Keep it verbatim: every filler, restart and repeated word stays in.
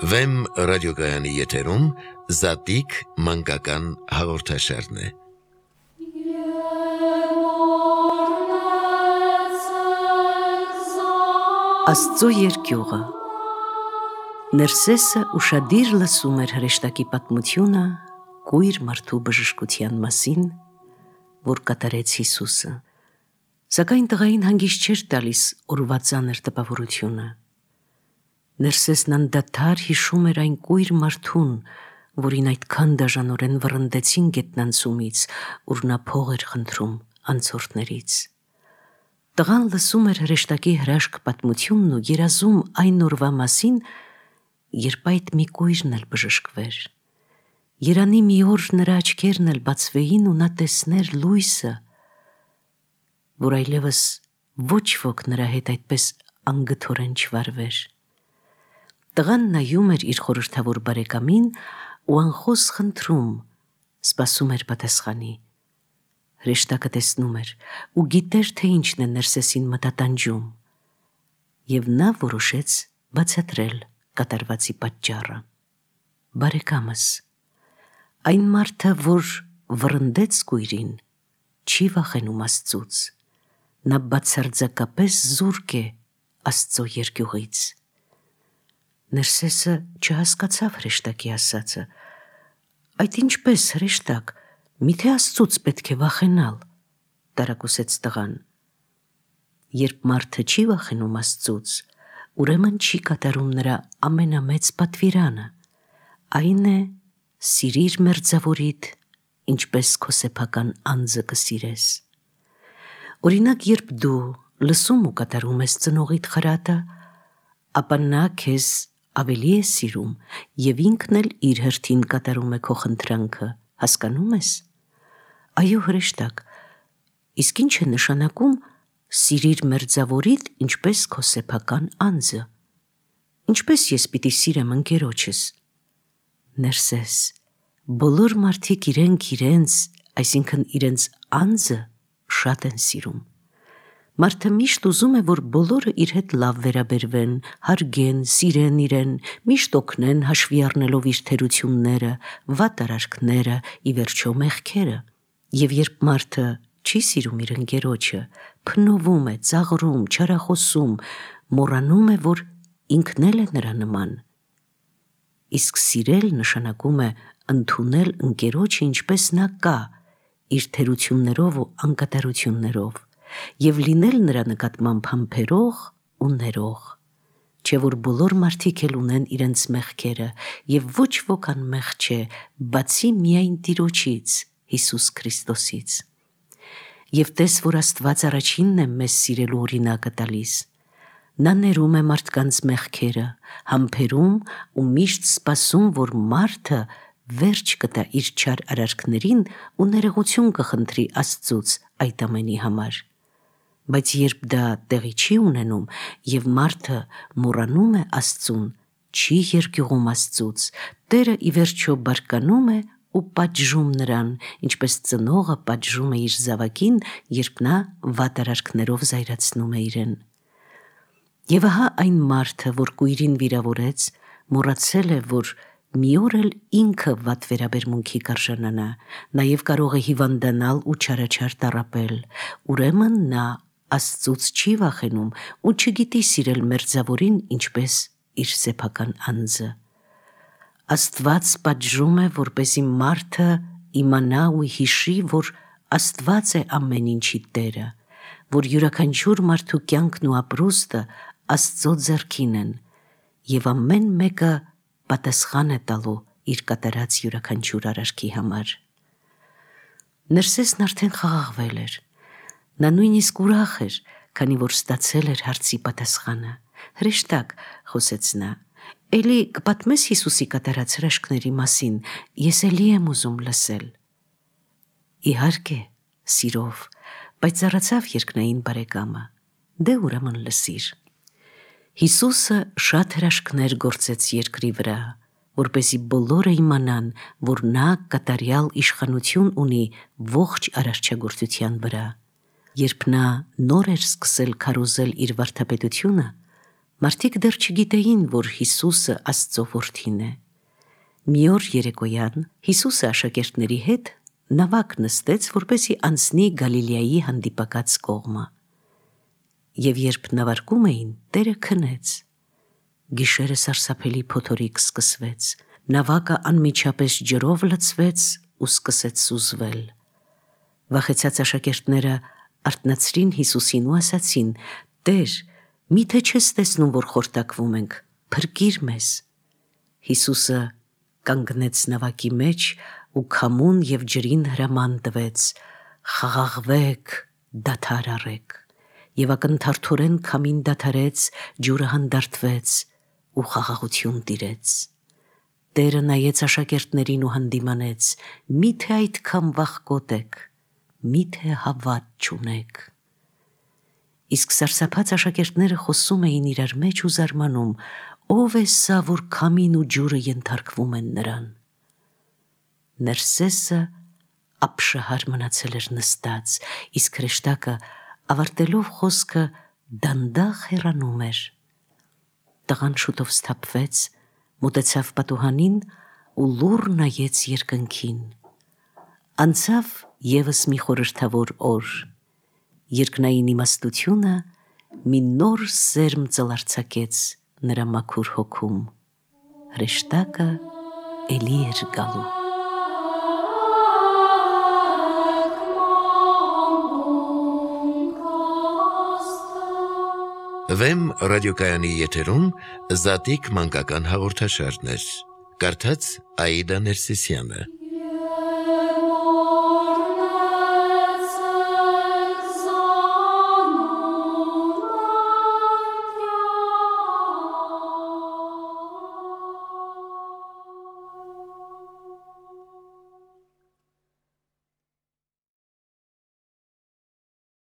Վեմ ռադիոգայանի եթերում Զատիկ մանկական հաղորդաշարն է։ Աստծո երկյուղը Ներսեսը ուշադիր լսում էր հրեշտակի պատմությունը կույր մարդու բժշկության մասին, որ կատարեց Հիսուսը, սակայն տղային հանգիստ չէր տալիս օրվա ծանր տպավորությունը։ Ներսեսն անդադար հիշում էր այն կույր մարդուն, որին այդքան դաժանորեն վռնդեցին գետնանցումից, ուր նա փող էր խնդրում անցորդներից։ Տղան լսում էր հրեշտակի հրաշք պատմությունն ու երազում այն օրվա մասին, երբ այդ մի կույրն էլ բժշկվեր։ Երանի մի օր նրա աչքերն էլ բացվեին ու նա տեսներ լույսը, որ այլևս ոչ ոք նրա հետ այդպես անգթորեն չվարվեր։ Տղան նայում էր իր խորհրդավոր բարեկամին ու անխոս խնդրում, սպասում էր պատասխանի։ Հրեշտակը տեսնում էր ու գիտեր, թե ինչն է Ներսեսին մտատանջում, և նա որոշեց բացատրել կատարվածի պատճառը։ Բարեկամս, այն մարդը, որ վռնդեց կույրին, չի վախենում Աստծուց, նա բացարձակապես զուրկ է Աստծո երկյուղից։ Ներսեսը չհասկացավ հրեշտակի ասածը։ Այդ ինչպես, հրեշտակ, միթե Աստծուց պետք է վախենալ, տարակուսեց տղան։ Երբ մարդը չի վախենում Աստծուց, ուրեմն չի կատարում նրա ամենամեծ պատվիրանը, այն է սիրիր մերձավորիդ, ինչպես քո սեփական անձը կսիրես։ Օրինակ, երբ դու լսում ու կատարում ես ծնողիդ խրատը, ապա նա քեզ ավելի է սիրում և ինքն էլ իր հերթին կատարում է քո խնդրանքը, հասկանում ես։ Այո, հրեշտակ, իսկ ինչ է նշանակում սիրիր մերձավորիդ, ինչպես քո սեփական անձը։ Ինչպես ես պիտի սիրեմ ընկերոջս։ Ներսես, բոլոր մարդիկ իրենք իրենց, այսինքն իրենց անձը շատ են սիրում։ Մարդը միշտ ուզում է, որ բոլորը իր հետ լավ վերաբերվեն, հարգեն, սիրեն իրեն, միշտ օգնեն հաշվի առնելով իր թերությունները, վատ արարքները, ի վերջո մեղքերը։ Եվ երբ մարդը չի սիրում իր ընկերոջը, փնովում է, ծաղրում, չարախոսում, մոռանում է, որ ինքն էլ է նրա նման։ Իսկ սիրել նշանակում է ընդունել ընկերոջը ինչպես նա կա, իր թերություններով ու անկատարություններով, և լինել նրա նկատմամբ համբերող ու ներող։ Չէ որ բոլոր մարդիկ էլ ունեն իրենց մեղքերը, և ոչ ոք անմեղ չէ, բացի միայն Տիրոջից, Հիսուս Քրիստոսից։ Եվ տես, որ Աստված առաջինն է մեզ սիրելու օրինակը տալիս։ Նա ներում է մարդկանց մեղքերը, համբերում ու միշտ սպասում, որ մարդը վերջ կտա իր չար արարքներին ու ներողություն կխնդրի Աստծուց այդ ամենի համար։ Բայց երբ դա տեղի չի ունենում և մարդը մոռանում է Աստծուն, չի երկյուղում Աստծուց, Տերը ի վերջո բարկանում է ու պատժում նրան, ինչպես ծնողը պատժում է իր զավակին, երբ նա վատ արարքներով զայրացնում է իրեն։ Եվ ահա այն մարդը, որ կույրին վիրավորեց, մոռացել է, որ մի օր էլ ինքը վատ վերաբերմունքի կարժանանա, նաև կարող է հիվանդանալ ու չարաչար տառապել, ուրեմն նա Աստծուց չի վախենում ու չգիտի սիրել մերձավորին ինչպես իր սեփական անձը։ Աստված պատժում է, որպեսզի մարդը իմանա ու հիշի, որ Աստված է ամեն ինչի Տերը, որ յուրաքանչյուր մարդու կյանքն ու ապրուստը Աստծո ձեռքին են, և ամեն մեկը պատասխան է տալու իր կատարած յուրաքանչյուր արարքի համար։ Ներսեսն արդեն խաղաղվել էր։ Նա նույնիսկ ուրախ էր, քանի որ ստացել էր հարցի պատասխանը։ Հրեշտակ, խոսեց նա, էլի կպատմես Հիսուսի կատարած հրաշքների մասին, ես էլի եմ ուզում լսել։ Իհարկե, սիրով, բայց ծառացավ երկնային բարեկամը, դե ուրեմն լսիր։ Հիսուսը շատ հրաշքներ գործեց երկրի վրա, որպեսզի բոլորը իմանան, որ նա կատարյալ իշխանություն ունի ողջ արարչագործության վրա։ Երբ նա նոր էր սկսել քարոզել իր վարդապետությունը, Մարդիկ դեռ չգիտեին, որ Հիսուսը Աստծո որդին է։ Մի օր երեկոյան Հիսուսը աշակերտների հետ նավակ նստեց, որպեսզի անցնի Գալիլեայի հանդիպակաց կողմը։ Եվ երբ նավարկում էին, Տերը քնեց։ Գիշերը սարսափելի փոթորիկ սկսվեց, նավակը անմիջապես ջրով լցվեց ու սկսեց սուզվել։ Վախեցած աշակերտները արթնացրին Հիսուսին ու ասացին. «Տեր, միթե չես տեսնում, որ խորտակվում ենք, փրկիր մեզ»։ Հիսուսը կանգնեց նավակի մեջ ու քամուն և ջրին հրաման տվեց. «Խաղաղվեք, դադար առեք»։ Եվ ակնթարթորեն քամին դադարեց, ջուրը հանդարտվեց ու խաղաղություն տիրեց։ Տերը նայեց աշակերտներին ու հանդիմանեց. «Միթե այդքան վախկոտ եք, միթե հավատ չունեք»։ Իսկ սարսափած աշակերտները խոսում էին իրար մեջ ու զարմանում. «Ո՞վ է սա, որ քամին ու ջուրը ենթարկվում են նրան»։ Ներսեսը ապշահար մնացել էր նստած, իսկ հրեշտակը ավարտելով խոսքը դանդաղ հեռանում էր։ Տղան շուտով սթափվեց, մոտեցավ պատուհանին ու լուռ նայեց երկնքին։ Անցավ ևս մի խորհրդավոր օր։ Երկնային իմաստությունը մի նոր սերմ ծլարձակեց նրա մաքուր հոգում։ Հրեշտակը էլի էր գալու։ Վեմ ռադիոկայանի եթերում Զատիկ մանկական հաղորդաշարներ։ Կարդաց Աիդա Ներսիսյանը։